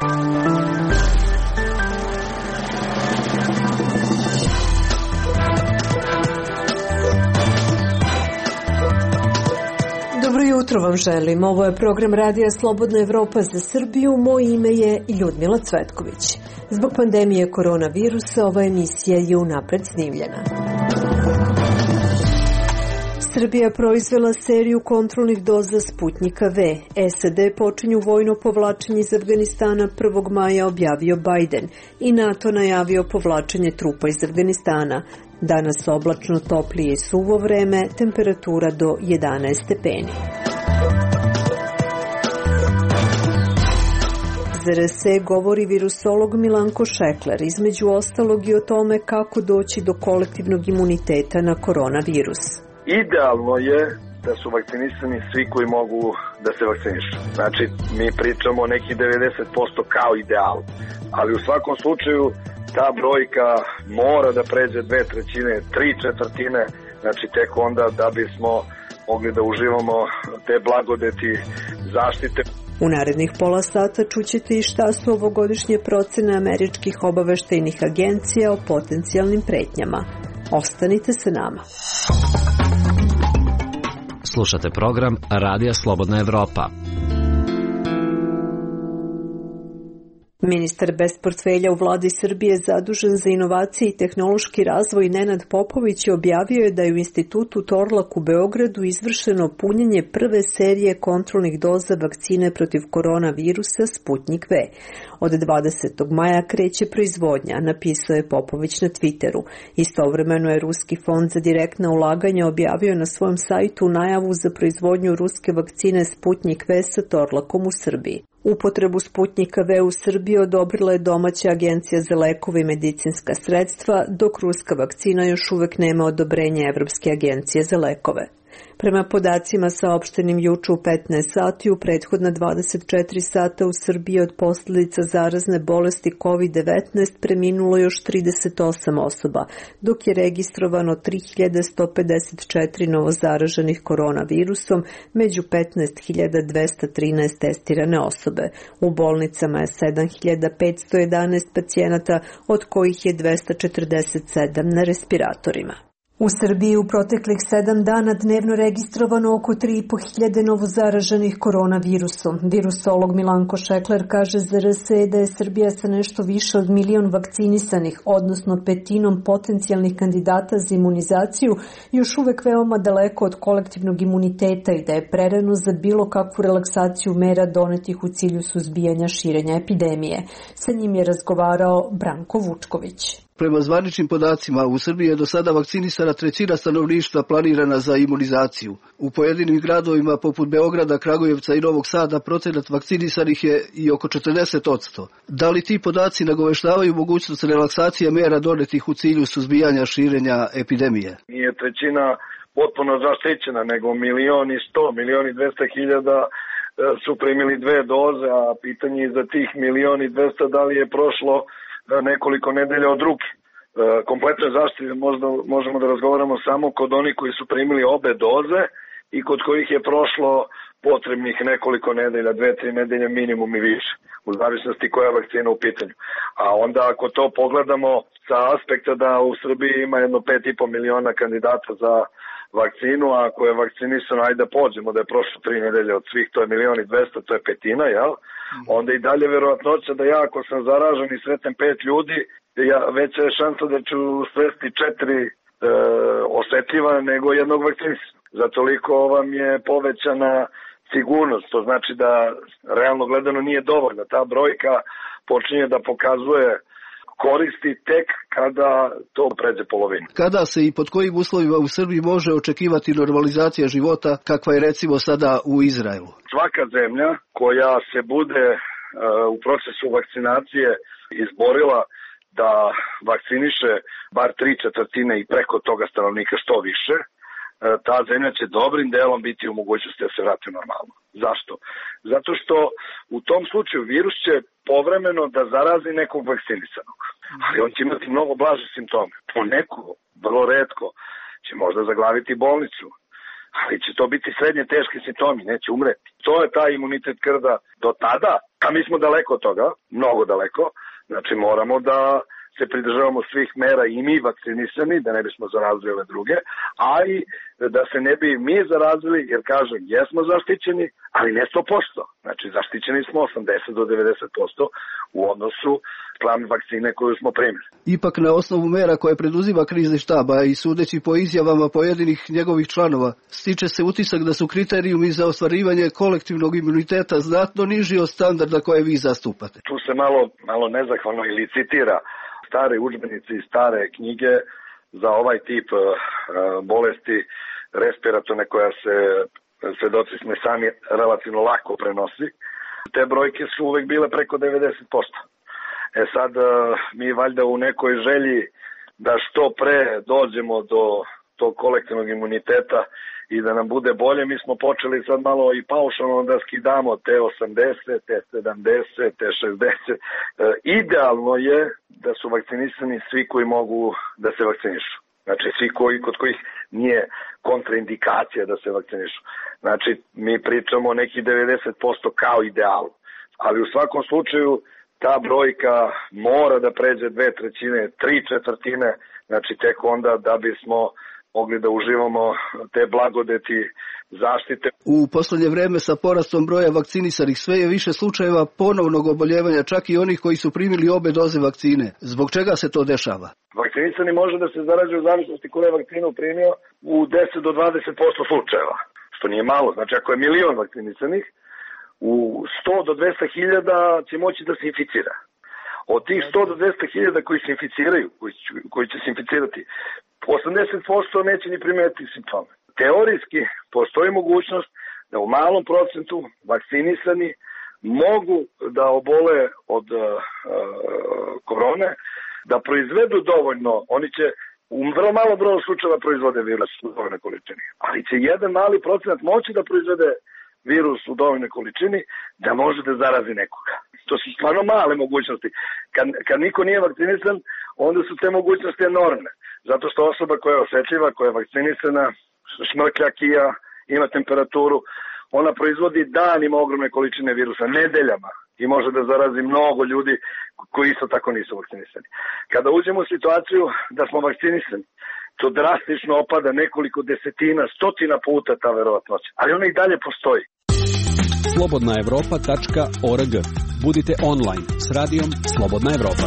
Dobro jutro vam želim. Ovo je program Radija Slobodna Evropa za Srbiju. Moje ime je Ljudmila Cvetković. Zbog pandemije koronavirusa ova emisija je unapred snimljena. Srbija proizvela seriju kontrolnih doza Sputnjika V. SAD počinju vojno povlačenje iz Afganistana 1. maja, objavio Biden, i NATO najavio povlačenje trupa iz Afganistana. Danas oblačno, toplije i suvo vreme, temperatura do 11 stepeni. Za RS govori virusolog Milanko Šekler, između ostalog i o tome kako doći do kolektivnog imuniteta na koronavirus. Idealno je da su vakcinisani svi koji mogu da se vakcinišu. Znači, mi pričamo o nekih 90% kao ideal, ali u svakom slučaju ta brojka mora da pređe 2/3, 3/4, znači tek onda da bismo mogli da uživamo te blagodeti zaštite. U narednih pola sata čućete i šta su ovogodišnje procene američkih obaveštajnih agencija o potencijalnim pretnjama. Ostanite sa nama. Slušate program Radija Slobodna Evropa. Ministar bez portfelja u vladi Srbije zadužen za inovacije i tehnološki razvoj Nenad Popović objavio je da je u Institutu Torlak u Beogradu izvršeno punjenje prve serije kontrolnih doza vakcine protiv koronavirusa Sputnjik V. Od 20. maja kreće proizvodnja, napisao je Popović na Twitteru. Istovremeno je Ruski fond za direktna ulaganja objavio na svom sajtu najavu za proizvodnju ruske vakcine Sputnjik V sa Torlakom u Srbiji. Upotrebu Sputnjika V u Srbiji odobrila je domaća agencija za lekove i medicinska sredstva, dok ruska vakcina još uvek nema odobrenje Evropske agencije za lekove. Prema podacima saopštenim juče u 15 sati, u prethodna 24 sata u Srbiji od posljedica zarazne bolesti COVID-19 preminulo još 38 osoba, dok je registrovano 3154 novozaraženih koronavirusom, među 15.213 testirane osobe. U bolnicama je 7511 pacijenata, od kojih je 247 na respiratorima. U Srbiji u proteklih 7 dana dnevno registrovano oko 3.500 novozaraženih koronavirusom. Virusolog Milanko Šekler kaže za RS da je Srbija sa nešto više od 1 milion vakcinisanih, odnosno petinom potencijalnih kandidata za imunizaciju, još uvek veoma daleko od kolektivnog imuniteta i da je prerano za bilo kakvu relaksaciju mera donetih u cilju suzbijanja širenja epidemije. Sa njim je razgovarao Branko Vučković. Prema zvaničnim podacima, u Srbiji je do sada vakcinisana 1/3 stanovništva planirana za imunizaciju. U pojedinim gradovima poput Beograda, Kragujevca i Novog Sada procenat vakcinisanih je i oko 40%. Da li ti podaci nagoveštavaju mogućnost relaksacije mera donetih u cilju suzbijanja širenja epidemije? Nije 1/3 potpuno zaštićena, nego 1.100.000, 1.200.000 su primili 2 doze, a pitanje je za tih 1.200.000 da li je prošlo nekoliko nedelja od ruke. Kompletne zaštite možemo da razgovaramo samo kod onih koji su primili obe doze i kod kojih je prošlo potrebnih nekoliko nedelja, 2-3 nedelje minimum i više, u zavisnosti koja je vakcina u pitanju. A onda ako to pogledamo sa aspekta da u Srbiji ima jedno 5,5 miliona kandidata za vakcinu, a ako je vakcinisano, ajde da pođemo da je prošlo 3 nedelje od svih, to je 1.200.000, to je petina, jel? Onda i dalje verovatnoća da ja ako sam zaražen i sretnem 5 ljudi, veća je šansa da ću sresti 4 osetljiva nego jednog vakcinisanog. Za toliko vam je povećana sigurnost, to znači da realno gledano nije dovoljno. Ta brojka počinje da pokazuje koristi tek kada to pređe polovinu. Kada se i pod kojim uslovima u Srbiji može očekivati normalizacija života kakva je recimo sada u Izraelu? Svaka zemlja koja se bude u procesu vakcinacije izborila da vakciniše bar 3/4 i preko toga stanovnika što više, ta zemlja će dobrim delom biti u mogućnosti da se vrati normalno. Zašto? Zato što u tom slučaju virus će povremeno da zarazi nekog vakcinisanog, ali on će imati mnogo blaže simptome. Poneko, vrlo retko, će možda zaglaviti bolnicu, ali će to biti srednje teški simptomi, neće umreti. To je taj imunitet krda do tada, A mi smo daleko od toga, mnogo daleko, znači moramo da se pridržavamo svih mera i mi vakcinisani, da ne bismo zarazili ove druge, a i da se ne bi mi zarazili, jer kažem, jesmo zaštićeni, ali ne 100%. Znači, zaštićeni smo 80 do 90% u odnosu spram vakcine koju smo primili. Ipak na osnovu mera koje preduzima krizni štab, a i sudeći po izjavama pojedinih njegovih članova, stiče se utisak da su kriterijumi za ostvarivanje kolektivnog imuniteta znatno niži od standarda koje vi zastupate. Tu se malo nezahvalno ili citira stare udžbenici i stare knjige za ovaj tip bolesti respiratorne koja se svedoci smo sami relativno lako prenosi. Te brojke su uvek bile preko 90%. Sad mi valjda u nekoj želji da što pre dođemo do tog kolektivnog imuniteta i da nam bude bolje, mi smo počeli sad malo i paušalno da skidamo te 80, te 70, te 60. Idealno je da su vakcinisani svi koji mogu da se vakcinišu. Znači svi kod kojih nije kontraindikacija da se vakcinišu. Znači mi pričamo neki 90% kao ideal. Ali u svakom slučaju ta brojka mora da pređe 2/3, 3/4, znači tek onda da bismo mogli da uživamo te blagodeti zaštite. U poslednje vreme sa porastom broja vakcinisanih sve je više slučajeva ponovnog oboljevanja, čak i onih koji su primili obe doze vakcine. Zbog čega se to dešava? Vakcinisani može da se zarađe u zavisnosti koju je vakcinu primio u 10 do 20% slučajeva, što nije malo. Znači ako je 1.000.000 vakcinisanih, u 100 do 200 hiljada će moći da se inficira. Od tih 100 do 200 hiljada koji se inficiraju, koji će se inficirati, 80% neće ni primetiti simptome. Teorijski postoji mogućnost da u malom procentu vakcinisani mogu da obole od korone, da proizvedu dovoljno, oni će u vrlo malo broju slučajeva proizvode virus u dovoljnoj količini, ali će jedan mali procenat moći da proizvede virus u dovoljnoj količini da može da zarazi nekoga. To su stvarno male mogućnosti. Kad niko nije vakcinisan, onda su te mogućnosti enormne. Zato što osoba koja je osetljiva, koja je vakcinisana, šmrklja, kija, ima temperaturu, ona proizvodi danima ogromne količine virusa, nedeljama i može da zarazi mnogo ljudi koji isto tako nisu vakcinisani. Kada uđemo u situaciju da smo vakcinisani, to drastično opada nekoliko desetina, stotina puta ta verovatnoća, ali ona i dalje postoji. slobodnaevropa.org. Budite online s radijom Slobodna Evropa.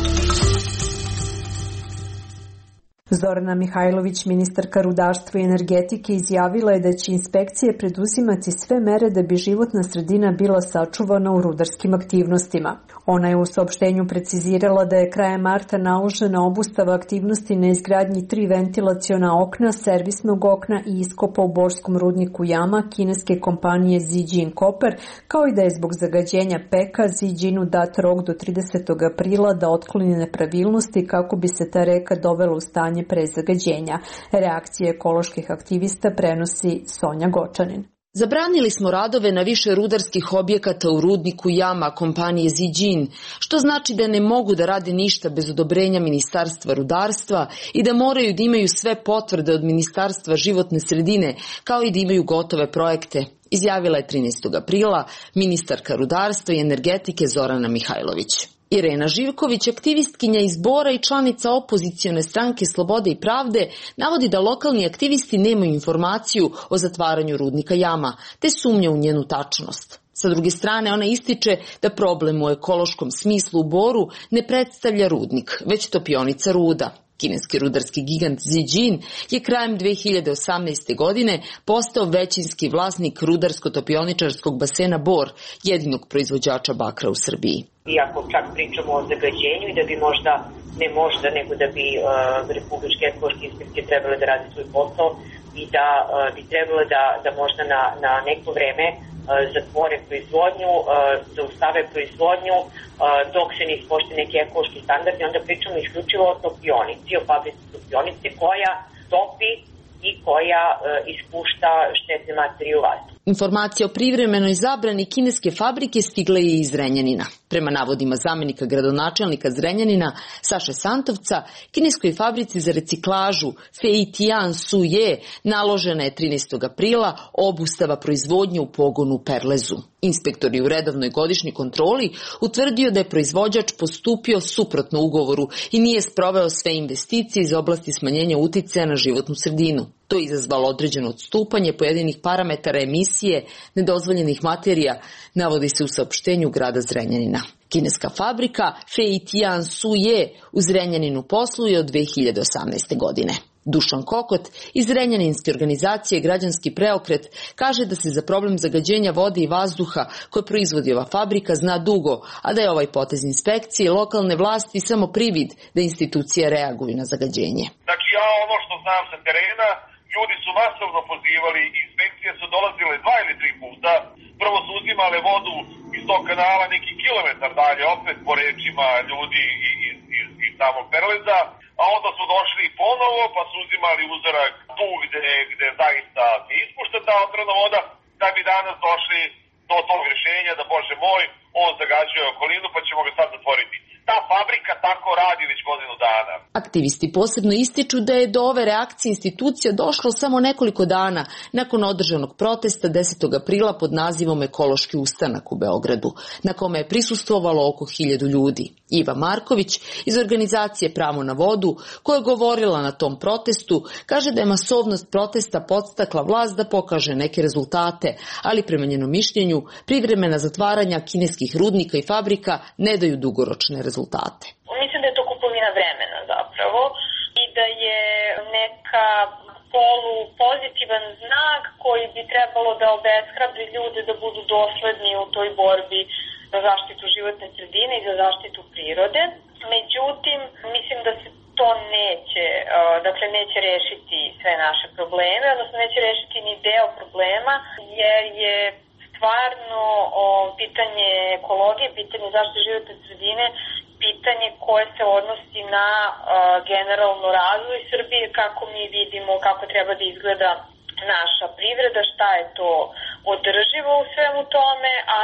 Zorana Mihajlović, ministarka rudarstva i energetike, izjavila je da će inspekcije preduzimati sve mere da bi životna sredina bila sačuvana u rudarskim aktivnostima. Ona je u saopštenju precizirala da je krajem marta naložena obustava aktivnosti na izgradnji 3 ventilaciona okna, servisnog okna i iskopa u borskom rudniku Jama kineske kompanije Zijin Copper, kao i da je zbog zagađenja peka Zijinu dat rok do 30. aprila da otkloni nepravilnosti kako bi se ta reka dovela u stanje pre zagađenja. Reakcije ekoloških aktivista prenosi Sonja Gočanin. Zabranili smo radove na više rudarskih objekata u rudniku Jama kompanije Zijin, što znači da ne mogu da rade ništa bez odobrenja Ministarstva rudarstva i da moraju da imaju sve potvrde od Ministarstva životne sredine, kao i da imaju gotove projekte, izjavila je 13. aprila ministarka rudarstva i energetike Zorana Mihajlović. Irena Živković, aktivistkinja iz Bora i članica opozicione stranke Slobode i pravde, navodi da lokalni aktivisti nemaju informaciju o zatvaranju rudnika Jama, te sumnja u njenu tačnost. Sa druge strane, ona ističe da problem u ekološkom smislu u Boru ne predstavlja rudnik, već topionica ruda. Kineski rudarski gigant Zijin je krajem 2018. godine postao većinski vlasnik rudarsko-topioničarskog basena Bor, jedinog proizvođača bakra u Srbiji. Iako čak pričamo o zagađenju i da bi nego da bi republičke ekološke inspekcije trebale da radi svoj posao i da bi trebalo da možda na neko vreme zatvore proizvodnju, zaustave proizvodnju dok se ne ispoštuje neki ekološki standardi, onda pričamo isključivo o topionici, o fabrici topionice koja topi i koja ispušta štetne materije u vazduh. Informacija o privremenoj zabrani kineske fabrike stigla je iz Zrenjanina. Prema navodima zamenika gradonačelnika Zrenjanina Saše Santovca, kineskoj fabrici za reciklažu Fei Tian Su Ye naložena je 13. aprila obustava proizvodnje u pogonu u Perlezu. Inspektor je u redovnoj godišnjoj kontroli utvrdio da je proizvođač postupio suprotno ugovoru i nije sproveo sve investicije iz oblasti smanjenja uticaja na životnu sredinu. To je izazvalo određeno odstupanje pojedinih parametara emisije nedozvoljenih materija, navodi se u saopštenju grada Zrenjanina. Kineska fabrika Fei Tian Su Ye u Zrenjaninu posluje od 2018. godine. Dušan Kokot iz Zrenjaninske organizacije Građanski preokret kaže da se za problem zagađenja vode i vazduha koje proizvodi ova fabrika zna dugo, a da je ovaj potez inspekcije i lokalne vlasti samo privid da institucije reaguju na zagađenje. Znači ja ono što znam sa terena, ljudi su masovno pozivali, inspekcije su dolazile 2 ili 3 puta, prvo su uzimale vodu iz tog kanala neki kilometar dalje, opet po rečima ljudi iz samog Perleza, a onda su došli ponovo pa su uzimali uzorak tu gde zaista se ispušta ta otrovna voda, da bi danas došli do tog rješenja da, Bože moj, on zagađuje okolinu pa ćemo ga sad zatvoriti. Ta fabrika tako radi već godinu dana. Aktivisti posebno ističu da je do ove reakcije institucija došlo samo nekoliko dana nakon održanog protesta 10. aprila pod nazivom Ekološki ustanak u Beogradu, na kome je prisustvovalo oko 1000 ljudi. Iva Marković iz organizacije Pravo na vodu, koja je govorila na tom protestu, kaže da je masovnost protesta podstakla vlast da pokaže neke rezultate, ali prema njenom mišljenju privremena zatvaranja kineskih rudnika i fabrika ne daju dugoročne rezultate. Mislim da je to kupovina vremena zapravo i da je neka polupozitivan znak koji bi trebalo da obeshrabri ljude da budu dosledni u toj borbi za zaštitu životne sredine i za zaštitu prirode. Međutim, mislim da se to neće rešiti sve naše probleme, odnosno neće rešiti ni deo problema, jer je stvarno pitanje ekologije, pitanje zaštite životne sredine, pitanje koje se odnosi na generalno razvoj Srbije, kako mi vidimo, kako treba da izgleda naša privreda, šta je to održivo u svemu tome, a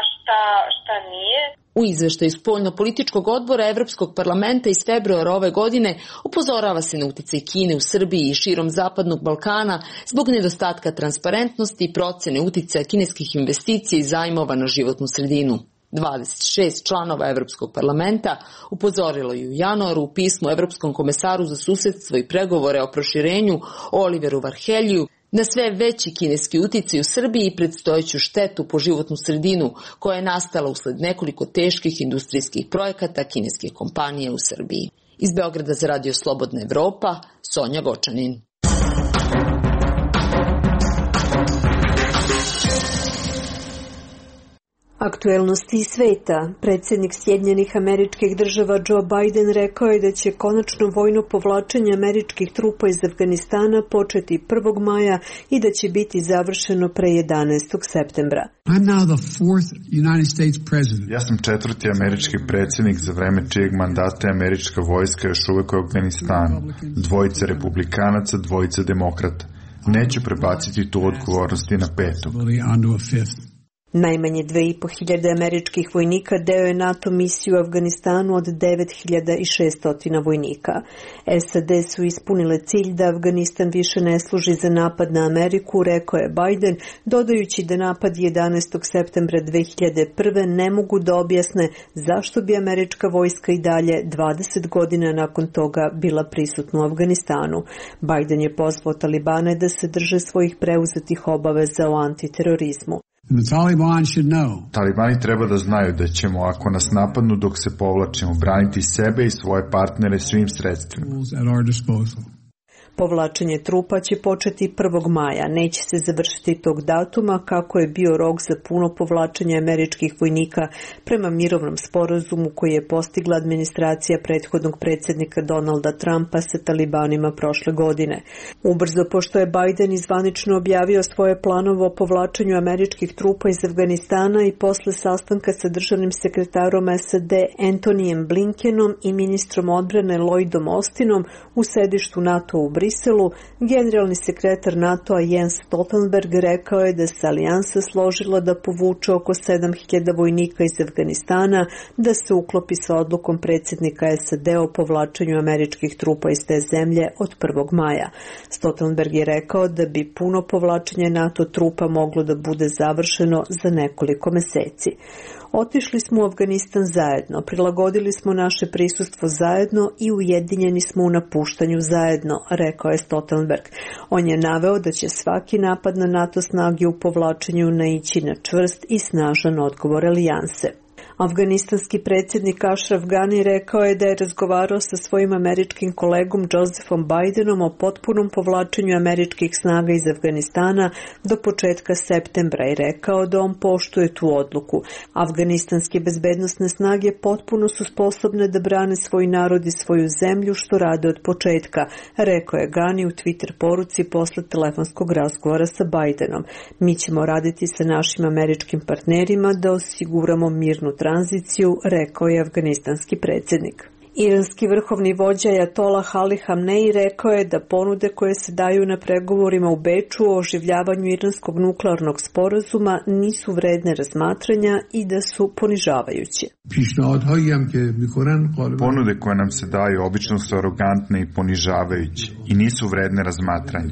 šta nije. U izveštaju Spoljno-političkog odbora Evropskog parlamenta iz februara ove godine upozorava se na uticaj Kine u Srbiji i širom Zapadnog Balkana zbog nedostatka transparentnosti i procene uticaja kineskih investicija i zajmova na životnu sredinu. 26 članova Evropskog parlamenta upozorilo je u januaru u pismu Evropskom komesaru za susedstvo i pregovore o proširenju Oliveru Varhelju na sve veći kineski uticaj u Srbiji i predstojeću štetu po životnu sredinu koja je nastala usled nekoliko teških industrijskih projekata kineskih kompanija u Srbiji. Iz Beograda za Radio Slobodna Evropa, Sonja Gočanin. Aktuelnosti iz sveta. Predsjednik Sjedinjenih Američkih Država Joe Biden rekao je da će konačno vojno povlačenje američkih trupa iz Afganistana početi 1. maja i da će biti završeno pre 11. septembra. Ja sam 4. američki predsjednik za vreme čijeg mandata je američka vojska još uvek u Afganistanu. 2 republikanaca, 2 demokrata. Neću prebaciti tu odgovornost i na 5. Najmanje 2500 američkih vojnika deo je NATO misiju u Afganistanu od 9600 vojnika. SAD su ispunile cilj da Afganistan više ne služi za napad na Ameriku, rekao je Biden, dodajući da napad 11. septembra 2001. ne mogu da objasne zašto bi američka vojska i dalje 20 godina nakon toga bila prisutna u Afganistanu. Biden je pozvao Talibane da se drže svojih preuzetih obaveza o antiterorizmu. Talibani treba da znaju da ćemo, ako nas napadnu dok se povlačimo, braniti sebe i svoje partnere svim sredstvima. Povlačenje trupa će početi 1. maja. Neće se završiti tog datuma kako je bio rok za puno povlačenje američkih vojnika prema mirovnom sporazumu koji je postigla administracija prethodnog predsjednika Donalda Trumpa sa Talibanima prošle godine. Ubrzo, pošto je Biden izvanično objavio svoje planove o povlačenju američkih trupa iz Afganistana i posle sastanka sa državnim sekretarom SAD Antonijem Blinkenom i ministrom odbrane Lloydom Austinom u sedištu NATO u Briselu, generalni sekretar NATO-a Jens Stoltenberg rekao je da se alijansa složila da povuče oko 7.000 vojnika iz Afganistana, da se uklopi sa odlukom predsjednika SAD o povlačenju američkih trupa iz te zemlje od 1. maja. Stoltenberg je rekao da bi puno povlačenje NATO trupa moglo da bude završeno za nekoliko meseci. Otišli smo u Afganistan zajedno, prilagodili smo naše prisustvo zajedno i ujedinjeni smo u napuštanju zajedno, rekao je Stoltenberg. On je naveo da će svaki napad na NATO snage u povlačenju naići na čvrst i snažan odgovor alijanse. Afganistanski predsjednik Ashraf Ghani rekao je da je razgovarao sa svojim američkim kolegom Josephom Bidenom o potpunom povlačenju američkih snaga iz Afganistana do početka septembra i rekao da on poštuje tu odluku. Afganistanske bezbednosne snage potpuno su sposobne da brane svoj narod i svoju zemlju, što rade od početka, rekao je Ghani u Twitter poruci posle telefonskog razgovora sa Bidenom. Mi ćemo raditi sa našim američkim partnerima da osiguramo mirnu tranziciju, rekao je afganistanski predsjednik. Iranski vrhovni vođa Ajatolah Ali Hamnei rekao je da ponude koje se daju na pregovorima u Beču o oživljavanju iranskog nuklearnog sporazuma nisu vredne razmatranja i da su ponižavajuće. Ponude koje nam se daju obično su arogantne i ponižavajuće i nisu vredne razmatranja.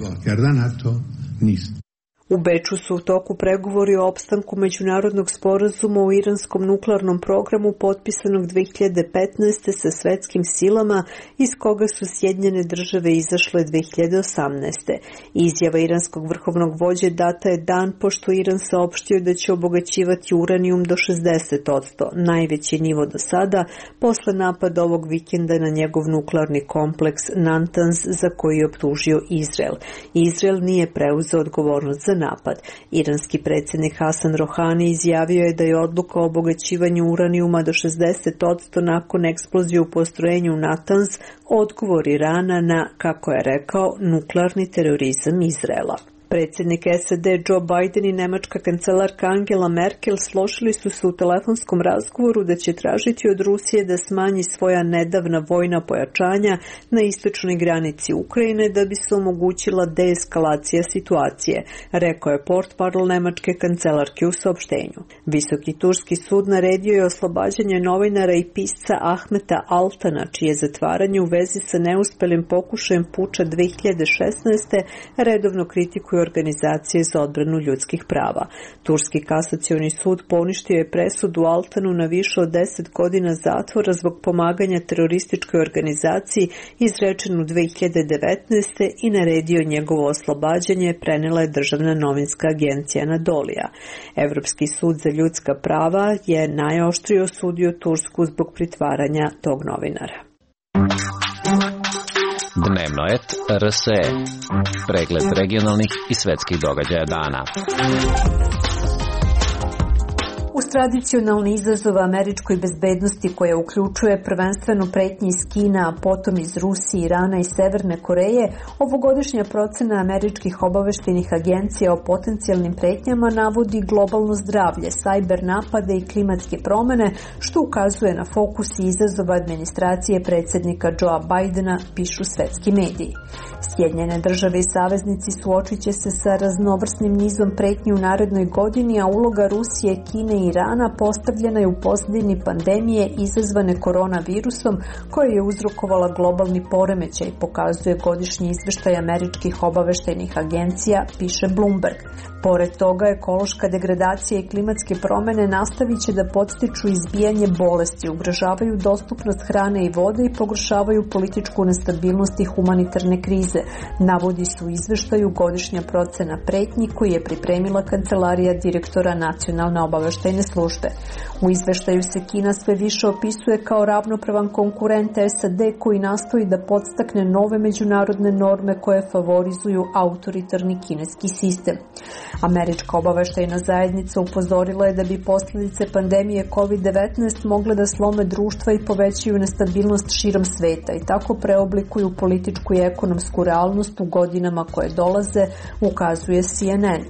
U Beču su u toku pregovori o opstanku međunarodnog sporazuma o iranskom nuklearnom programu potpisanog 2015. sa svetskim silama, iz koga su Sjedinjene Države izašle 2018. Izjava iranskog vrhovnog vođe data je dan pošto Iran saopštio da će obogaćivati uranijum do 60%, najveći nivo do sada, posle napada ovog vikenda na njegov nuklearni kompleks Natanz, za koji je optužio Izrael. Izrael nije preuzeo odgovornost za napad. Iranski predsjednik Hasan Rohani izjavio je da je odluka o obogaćivanju uranijuma do 60% nakon eksplozije u postrojenju Natanz odgovor Irana na, kako je rekao, nuklearni terorizam Izraela. Predsjednik SAD Joe Biden i nemačka kancelarka Angela Merkel složili su se u telefonskom razgovoru da će tražiti od Rusije da smanji svoja nedavna vojna pojačanja na istočnoj granici Ukrajine da bi se omogućila deeskalacija situacije, rekao je portparol nemačke kancelarke u saopštenju. Visoki turski sud naredio je oslobađanje novinara i pisca Ahmeta Altana, čije zatvaranje u vezi sa neuspelim pokušajem puča 2016. redovno kritikuju organizacije za odbranu ljudskih prava. Turski kasacioni sud poništio je presudu Altanu na više od 10 godina zatvora zbog pomaganja terorističkoj organizaciji izrečenu 2019. i naredio njegovo oslobađanje, prenela je državna novinska agencija Anadolija. Evropski sud za ljudska prava je najoštrije osudio Tursku zbog pritvaranja tog novinara. Dnevno et RSE. Pregled regionalnih i svetskih događaja dana. Uz tradicionalni izazov američkoj bezbednosti koja uključuje prvenstveno pretnje iz Kina, a potom iz Rusije, Irana i Severne Koreje, ovogodišnja procena američkih obaveštajnih agencija o potencijalnim pretnjama navodi globalno zdravlje, sajber napade i klimatske promene, što ukazuje na fokus i izazova administracije predsjednika Joea Bidena, pišu svetski mediji. Sjedinjene Države i saveznici suočit će se sa raznovrsnim nizom pretnji u narednoj godini, a uloga Rusije, Kine i Irana postavljena je u pozadini pandemije izazvane koronavirusom koja je uzrokovala globalni poremećaj, pokazuje godišnji izveštaj američkih obaveštajnih agencija, piše Bloomberg. Pored toga, ekološka degradacija i klimatske promene nastavit će da podstiču izbijanje bolesti, ugrožavaju dostupnost hrane i vode i pogoršavaju političku nestabilnost i humanitarne krize, navodi se u izveštaju godišnja procena pretnji koji je pripremila Kancelarija direktora Nacionalne obaveštajne službe. U izveštaju se Kina sve više opisuje kao ravnopravan konkurent SAD koji nastoji da podstakne nove međunarodne norme koje favorizuju autoritarni kineski sistem. Američka obaveštajna zajednica upozorila je da bi posljedice pandemije COVID-19 mogle da slome društva i povećaju nestabilnost širom sveta i tako preoblikuju političku i ekonomsku realnost u godinama koje dolaze, ukazuje CNN.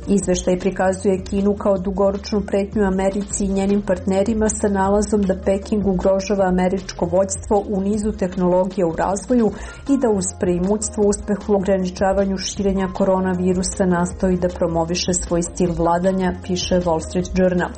Izveštaj prikazuje Kinu kao dugoročnu pretnju Americi i njenim partnerima sa nalazom da Peking ugrožava američko vođstvo u nizu tehnologija u razvoju i da uz preimućstvo uspehu u ograničavanju širenja koronavirusa nastoji da promoviše svoj stil vladanja, piše Wall Street Journal.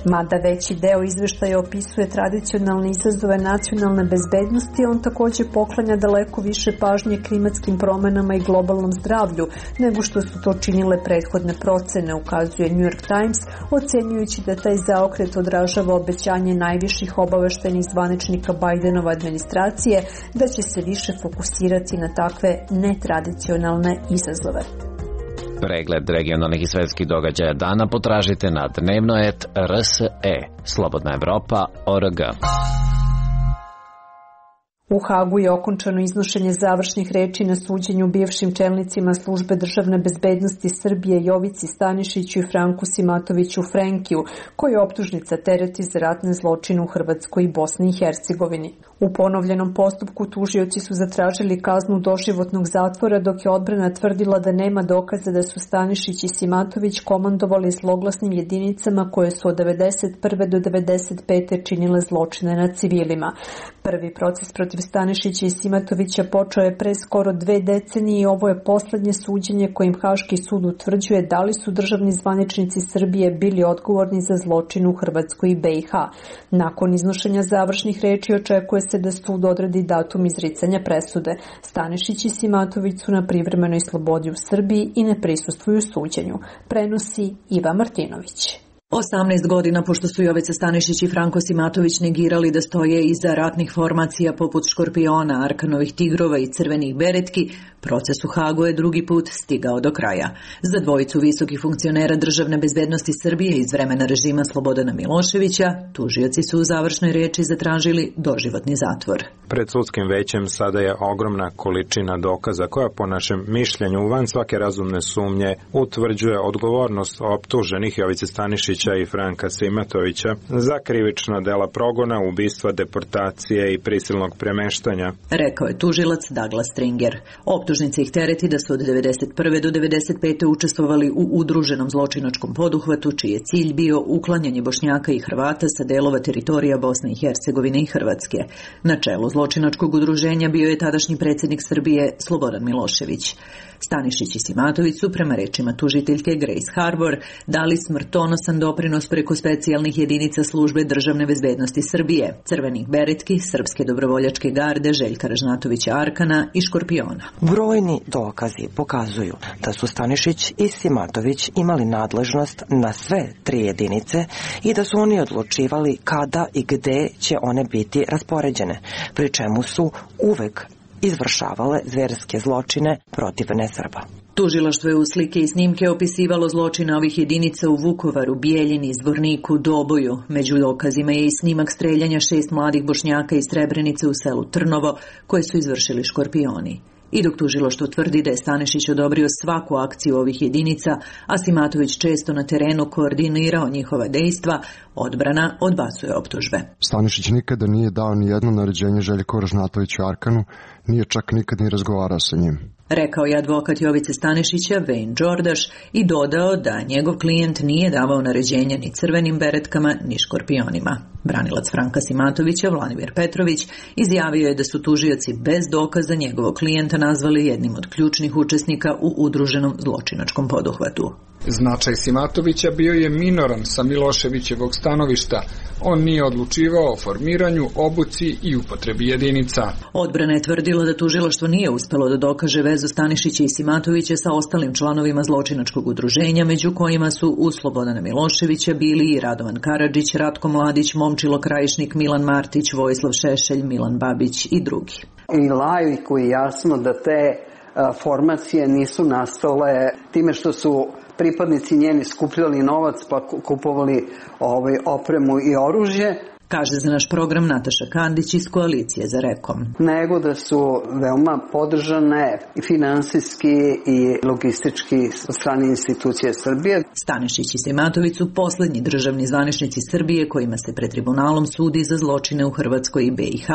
Mada veći deo izveštaja opisuje tradicionalne izazove nacionalne bezbednosti, on takođe poklanja daleko više pažnje klimatskim promenama i globalnom zdravlju nego što su to činile prethodne procene, ukazuje New York Times, ocenjujući da taj zaokret odražava obećanje najviših obaveštajnih zvaničnika Bidenove administracije da će se više fokusirati na takve netradicionalne izazove. Pregled regionalnih i svetskih događaja dana potražite na dnevno.rs.e. Slobodna Evropa.org. U Hagu je okončano iznošenje završnih reči na suđenju bivšim čelnicima Službe državne bezbednosti Srbije Jovici Stanišiću i Franku Simatoviću Frenkiju, koji optužnica tereti za ratne zločine u Hrvatskoj i Bosni i Hercegovini. U ponovljenom postupku tužioci su zatražili kaznu doživotnog zatvora, dok je odbrana tvrdila da nema dokaza da su Stanišić i Simatović komandovali zloglasnim jedinicama koje su od 1991. do 1995. činile zločine nad civilima. Prvi proces protiv Stanišića i Simatovića počeo je pre skoro 2 decenije i ovo je poslednje suđenje kojim Haški sud utvrđuje da li su državni zvaničnici Srbije bili odgovorni za zločin u Hrvatskoj i BiH. Nakon iznošenja završnih reči očekuje se da sud odredi datum izricanja presude. Stanišić i Simatović su na privremenoj slobodi u Srbiji i ne prisustvuju suđenju. Prenosi Iva Martinović. 18 godina pošto su Jovica Stanišić i Franko Simatović negirali da stoje iza ratnih formacija poput Škorpiona, Arkanovih tigrova i Crvenih beretki, proces u Hagu je drugi put stigao do kraja. Za dvojicu visokih funkcionera državne bezbednosti Srbije iz vremena režima Slobodana Miloševića, tužioci su u završnoj reči zatražili doživotni zatvor. Pred sudskim većem sada je ogromna količina dokaza koja po našem mišljenju van svake razumne sumnje utvrđuje odgovornost optuženih Jovice Stanišića i Franka Simatovića za krivična dela progona, ubistva, deportacije i prisilnog premeštanja, rekao je tužilac Douglas Stringer. Optužnica ih tereti da su od 1991. do 1995. učestvovali u udruženom zločinačkom poduhvatu, čiji je cilj bio uklanjanje Bošnjaka i Hrvata sa delova teritorija Bosne i Hercegovine i Hrvatske. Na čelu zločinačkog udruženja bio je tadašnji predsjednik Srbije Slobodan Milošević. Stanišić i Simatović su, prema rečima tužiteljke Grace Harbor, dali smrtonosan doprinos preko specijalnih jedinica Službe državne bezbednosti Srbije, Crvenih beretki, Srpske dobrovoljačke garde, Željka Ražnatovića Arkana i Škorpiona. Brojni dokazi pokazuju da su Stanišić i Simatović imali nadležnost na sve 3 jedinice i da su oni odlučivali kada i gde će one biti raspoređene, pri čemu su uvek izvršavale zverske zločine protiv nesrba. Tužilaštvo je u slike i snimke opisivalo zločine ovih jedinica u Vukovaru, Bijeljini, Zvorniku, Doboju. Među dokazima je i snimak streljanja 6 mladih Bošnjaka iz Srebrenice u selu Trnovo, koje su izvršili Škorpioni. I dok tužilaštvo tvrdi da je Stanišić odobrio svaku akciju ovih jedinica, a Simatović često na terenu koordinirao njihova dejstva, odbrana odbacuje optužbe. Stanišić nikada nije dao ni jedno naređenje Željku Ražnatoviću Arkanu, nije čak nikad ni razgovarao sa njim, rekao je advokat Jovice Stanišića Wayne Đordaš i dodao da njegov klijent nije davao naređenja ni Crvenim beretkama ni Škorpionima. Branilac Franka Simatovića, Vladimir Petrović, izjavio je da su tužioci bez dokaza njegovog klijenta nazvali jednim od ključnih učesnika u udruženom zločinačkom poduhvatu. Značaj Simatovića bio je minoran sa Miloševićevog stanovišta. On nije odlučivao o formiranju, obuci i upotrebi jedinica. Odbrana je tvrdila da tužilaštvo nije uspelo da dokaže vezu Stanišića i Simatovića sa ostalim članovima zločinačkog udruženja, među kojima su uz Slobodana Miloševića bili i Radovan Karadžić, Ratko Mladić, Momčilo Krajišnik, Milan Martić, Vojislav Šešelj, Milan Babić i drugi. I laiku je jasno da te formacije nisu nastale time što su pripadnici njeni skupljali novac pa kupovali opremu i oružje. kaže za naš program Nataša Kandić iz Koalicije za Rekom. Nego da su veoma podržane i finansijski i logistički od strane institucije Srbije. Stanišić i Sejmatović su poslednji državni zvaničnici Srbije kojima se pred tribunalom sudi za zločine u Hrvatskoj i BiH.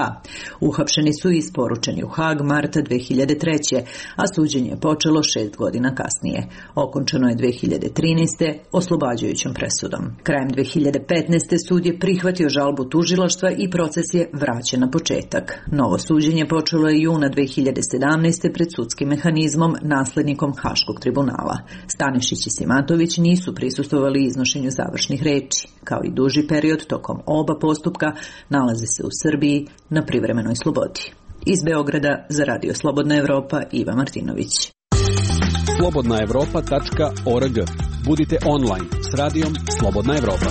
Uhapšeni su i isporučeni u Hag marta 2003. a suđenje je počelo 6 godina kasnije. Okončano je 2013. oslobađajućom presudom. Krajem 2015. sud je prihvatio žalbu tužilaštva i proces je vraćen na početak. Novo suđenje počelo je juna 2017. pred sudskim mehanizmom, naslednikom Haškog tribunala. Stanišić i Sejmatović nisu prisustvovali iznošenju završnih reči. Kao i duži period tokom oba postupka nalaze se u Srbiji na privremenoj slobodi. Iz Beograda za Radio Slobodna Evropa, Iva Martinović. slobodnaevropa.org. Budite online s radijom Slobodna Evropa.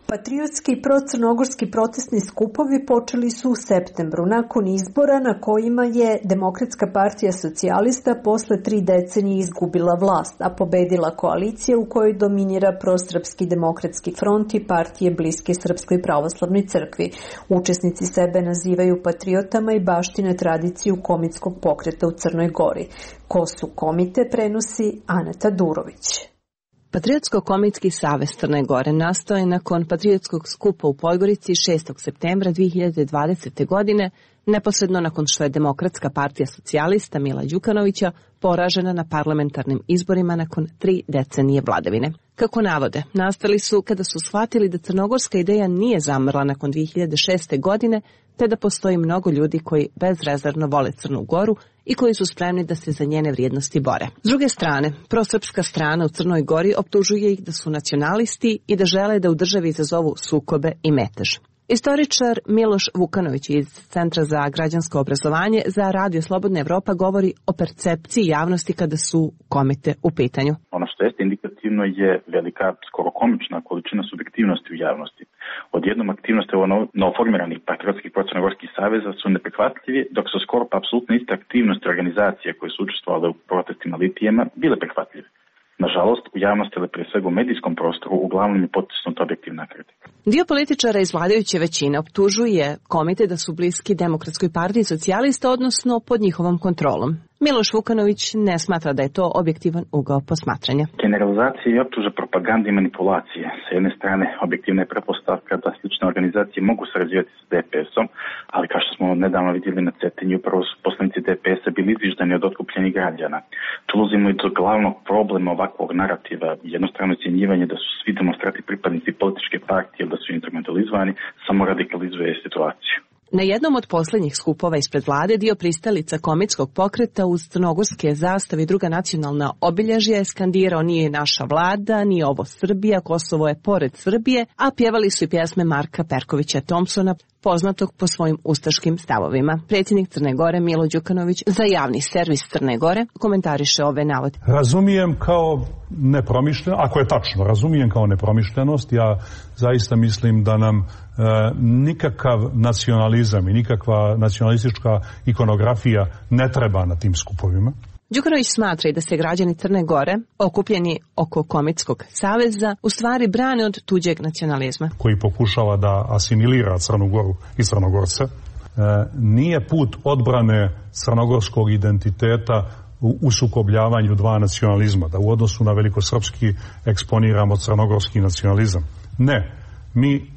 Patriotski i procrnogorski protestni skupovi počeli su u septembru, nakon izbora na kojima je Demokratska partija socijalista posle 3 decenije izgubila vlast, a pobedila koalicija u kojoj dominira Prosrpski demokratski front i partije bliske Srpskoj pravoslavnoj crkvi. Učesnici sebe nazivaju patriotama i baštine tradiciju komitskog pokreta u Crnoj Gori. Ko su komite, prenosi Aneta Durović. Patriotsko-komitski savez Crne Gore nastao je nakon patriotskog skupa u Podgorici 6. septembra 2020. godine, neposredno nakon što je Demokratska partija socijalista Mila Đukanovića poražena na parlamentarnim izborima nakon 3 decenije vladavine. Kako navode, nastali su kada su shvatili da crnogorska ideja nije zamrla nakon 2006. godine, te da postoji mnogo ljudi koji bezrezervno vole Crnu Goru i koji su spremni da se za njene vrijednosti bore. S druge strane, prosrpska strana u Crnoj Gori optužuje ih da su nacionalisti i da žele da u državi izazovu sukobe i metež. Istoričar Miloš Vukanović iz Centra za građansko obrazovanje za Radio Slobodna Evropa govori o percepciji javnosti kada su komite u pitanju. Ono što jeste indikativno je velika, skoro komična količina subjektivnosti u javnosti. Odjednom aktivnosti novoformiranih patriotskih procrnogorskih saveza su neprihvatljivi, dok su skoro pa apsolutno iste aktivnosti organizacije koje su učestvovale u protestima litijema bile prihvatljive. Nažalost, u javnosti, ali prije svega u medijskom prostoru, uglavnom je potisnuta objektivna kritika. Dio političara iz vladajuće većine optužuje komite da su bliski Demokratskoj partiji socijalista, odnosno pod njihovom kontrolom. Miloš Vukanović ne smatra da je to objektivan ugao posmatranja. Generalizacije i optuže propagande i manipulacije. Sa jedne strane, objektivna je pretpostavka da slične organizacije mogu sarađivati s DPS-om, ali kao što smo nedavno vidjeli na Cetinju, upravo su poslanici DPS-a bili izviždani od otkupljenih građana. Dolazimo i do glavnog problema ovakvog narativa, jednostrano ocjenjivanje da su svi demonstrati pripadnici političke partije ili da su instrumentalizovani, samo radikalizuje situaciju. Na jednom od posljednjih skupova ispred vlade dio pristalica komitskog pokreta uz crnogorske zastave i druga nacionalna obilježja je skandirao nije naša vlada, nije ovo Srbija, Kosovo je pored Srbije, a pjevali su i pjesme Marka Perkovića Thompsona, poznatog po svojim ustaškim stavovima. Predsjednik Crne Gore Milo Đukanović za javni servis Crne Gore komentariše ove navode. Razumijem kao nepromišljeno, ako je tačno, razumijem kao nepromišljenost. Ja zaista mislim da nam nikakav nacionalizam i nikakva nacionalistička ikonografija ne treba na tim skupovima. Đukanović smatra i da se građani Crne Gore, okupljeni oko komitskog saveza, u stvari brane od tuđeg nacionalizma. Koji pokušava da asimilira Crnu Goru i Crnogorce. Nije put odbrane crnogorskog identiteta u sukobljavanju dva nacionalizma, da u odnosu na velikosrpski eksponiramo crnogorski nacionalizam. Ne, mi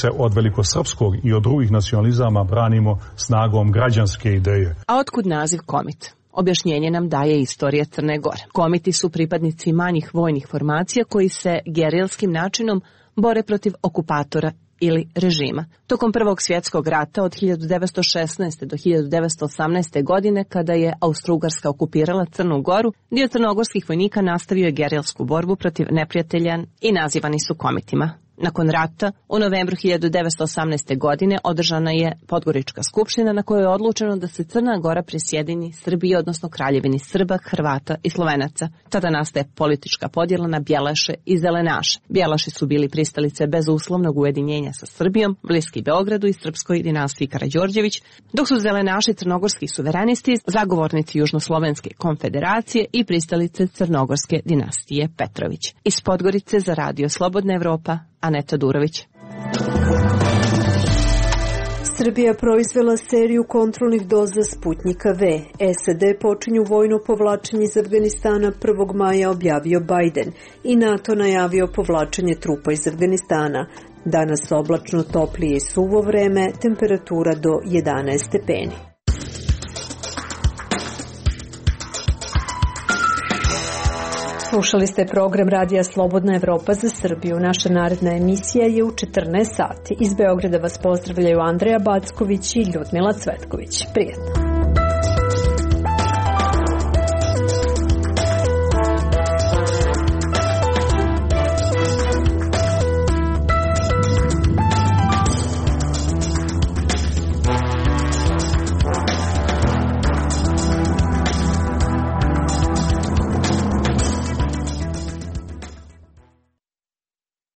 se od velikosrpskog i od drugih nacionalizama branimo snagom građanske ideje. A otkud naziv komit? Objašnjenje nam daje istorija Crne Gore. Komiti su pripadnici manjih vojnih formacija koji se gerilskim načinom bore protiv okupatora ili režima. Tokom Prvog svjetskog rata od 1916. do 1918. godine, kada je Austro-Ugarska okupirala Crnu Goru, dio crnogorskih vojnika nastavio je gerilsku borbu protiv neprijatelja i nazivani su komitima. Nakon rata, u novembru 1918. godine održana je Podgorička skupština na kojoj je odlučeno da se Crna Gora prisjedini Srbiji, odnosno Kraljevini Srba, Hrvata i Slovenaca. Tada nastaje politička podjela na Bjelaše i Zelenaše. Bjelaši su bili pristalice bezuslovnog ujedinjenja sa Srbijom, bliski Beogradu i srpskoj dinastiji Karađorđević, dok su Zelenaši crnogorski suverenisti, zagovornici Južnoslovenske konfederacije i pristalice crnogorske dinastije Petrović. Iz Podgorice za Radio Slobodna Evropa, Aneta Durović. Srbija proizvela seriju kontrolnih doza Sputnjika V. SAD počinju vojno povlačenje iz Afganistana 1. maja, objavio Biden, i NATO najavio povlačenje trupa iz Afganistana. Danas oblačno, toplije i suvo vreme, temperatura do 11 stepeni. Slušali ste program Radija Slobodna Evropa za Srbiju. Naša naredna emisija je u 14 sati. Iz Beograda vas pozdravljaju Andreja Backović i Ljudmila Cvetković. Prijetno!